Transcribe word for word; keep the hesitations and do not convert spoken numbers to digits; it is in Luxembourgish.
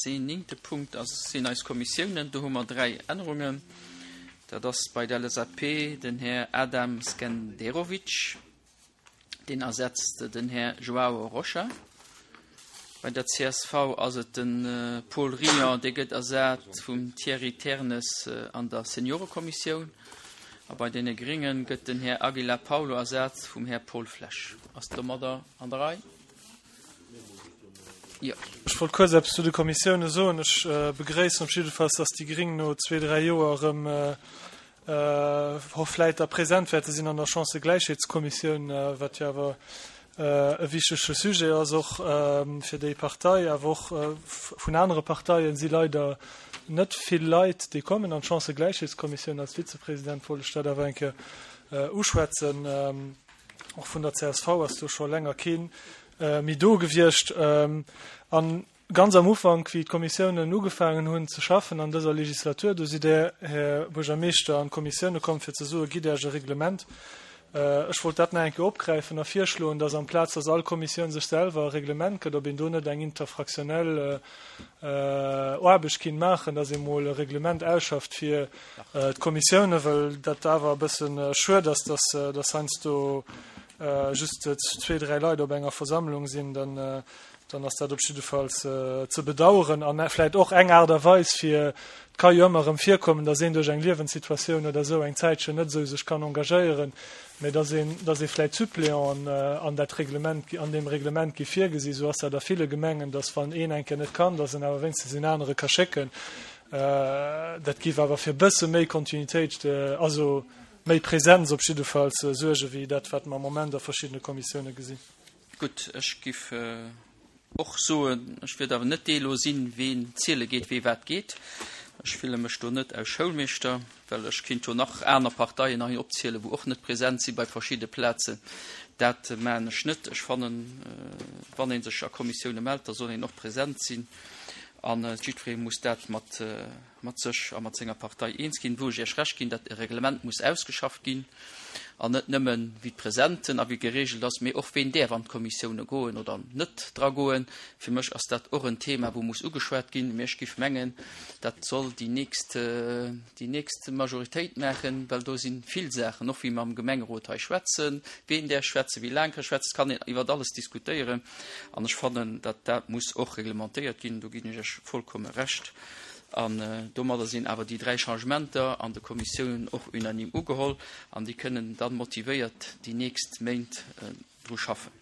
Deen néngte Punkt ass, sinn eis Kommissiounen. Do hu mer dräi Ännerungen. Dat ass bei der L S A P den Här Adam Skenderovic, deen ersetzt den Här Joao Rocha. Bei der C S V ass et de Paul Rion, dee gëtt ersat vum Thierry Ternes an der Seniorekommissioun. A bei deene Grénge gëtt den Här Aguilar Paulo ersat vum Här Paul Flesch. Ass domadder an der Rei? Jo. Ech wollt kuerz eppes zu de Kommissioune soen. Ech begréissen op jiddefalls, dass déi Gréng no zwee, dräi Joer erëm vläit da present wäerte sinn an der Chancëgläichheetskommissioun, wat jo awer e wichtege Sujet ass och fir déi Partei. Awer och vun anere Parteien si leider net vill Leit, déi kommen an d'Chancëgläichheetskommissioun. Als Vizepresident wollt ech dat awer eng Kéier uschwätzen. Och vun der C S V ass do scho länger keen méi do gewiescht. An ganz am Ufank, wéi d'Kommissiounen ugefaangen hunn ze schaffen an dëser Legislatur, do sidd Dir, Här Buergermeeschter, an d'Kommissioune komm fir ze soen, Gitt Iech e Reglement. Ech wollt dat nach eng Kéier opgräifen a virschloen, dass amplaz dass all Kommissioun sech selwer e Reglement gëtt, ob een do net eng interfraktionell Aarbecht kinnt maachen, dass ee mol e Reglement ausschafft fir d'Kommissioune, well dat awer e bësse schued ass, dass dass heiansdo just zwee, dräi Leit op enger Versammlung sinn, dann dann ass dat op jiddefalls ze bedauern an vläicht och eng Aart a Weis fir, et ka jo ëmmer erëm virkommen, dass een duerch eng Liewenssituatioun oder esou eng Zäitchen net esou sech kann engagéieren, mä dass een dass ee vläicht Suppléanten an dat Reglement, an deem Reglement gi virgesi. Esou ass dat a ville Gemengen, dass wann een eng Kéier net kann, dass en awer wéinstens een anere ka schécken. Dat géif awer fir e bësse méi Kontinuitéit, also méi Präsenz op jiddefalls suergen, wéi dat wat mer am Moment a verschiddene Kommissioune gesinn. Gutt, ech giff och soen, ech wiert awer net dee lo sinn, ween ziele geet, wee wat geet. Ech fille mech do net aus Schoulmeeschter, well ech kinnt jo nach aner Parteien hei opzielen, wou och net present si bei verschidde Plazen. Dat maachen ech net. Ech fannen, wann ee sech a Kommissioune mellt, da soll een och present sinn. An jiddweree muss dat mat mat sech a mat senger Partei eens ginn. Wou ech Iech Recht ginn, datt e Reglement muss ausgeschafft ginn, an net nëmmen wéi d'Presenten a wéi geregelt ass, mee och ween däerf an d'Kommissioune goen oder net dra goen. Fir mech ass dat och en Thema, wou muss ugeschwat ginn. Mee ech giff mengen, dat soll déi nächst, déi nächst Majoritéit maachen, well do si vill Saachen, och wéi mer am Gemengerot hei schwätzen, ween däerf schwätzen, wéi laang ka schwätzen, et kann een iwwert alles diskutéieren. An ech fannen, datt dat muss och reglementéiert ginn, do ginn ech Iech vollkomme Recht. An domadder sinn awer déi dräi Changementer an de Kommissiounen och unanime ugeholl an déi kënnen dann motivéiert déi nächst Méint dru schaffen.